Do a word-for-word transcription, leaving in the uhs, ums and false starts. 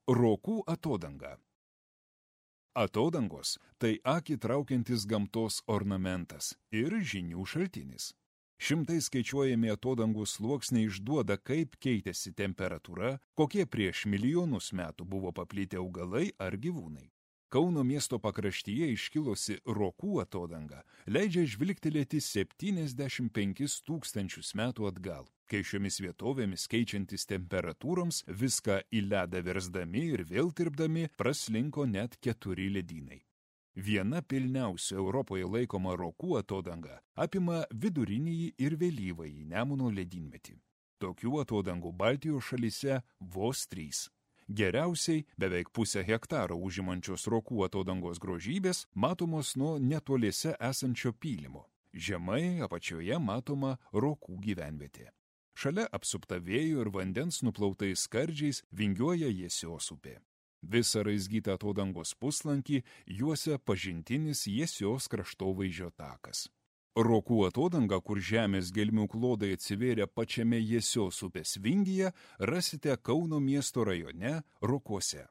Rokų atodanga. Atodangos – tai akį traukiantis gamtos ornamentas ir žinių šaltinis. Šimtai skaičiuojami atodangų sluoksniai išduoda, kaip keitėsi temperatūra, kokie prieš milijonus metų buvo paplitę augalai ar gyvūnai. Kauno miesto pakraštyje iškilusi Rokų atodanga leidžia žvilgtelėti septyniasdešimt penkis tūkstančius metų atgal, kai šiomis vietovėmis keičiantis temperatūroms viską į ledą versdami ir vėl tirpdami praslinko net keturi ledynai. Viena pilniausių Europoje laikoma Rokų atodanga apima vidurinįjį ir vėlyvąjį Nemuno ledynmetį. Tokių atodangų Baltijos šalyse vos trys. Geriausiai beveik pusę hektaro užimančios Rokų atodangos grožybės matomos nuo netoliese esančio pylimo. Žemai apačioje matoma Rokų gyvenvietė. Šalia apsupta vėjo ir vandens nuplautais skardžiais vingiuoja Jiesios upė. Visą raizgytą atodangos puslankį juosia pažintinis Jiesios kraštovaizdžio takas. Rokų atodanga, kur žemės gelmių klodai atsivėrė pačiame Jiesios upės vingyje, rasite Kauno miesto rajone Rokuose.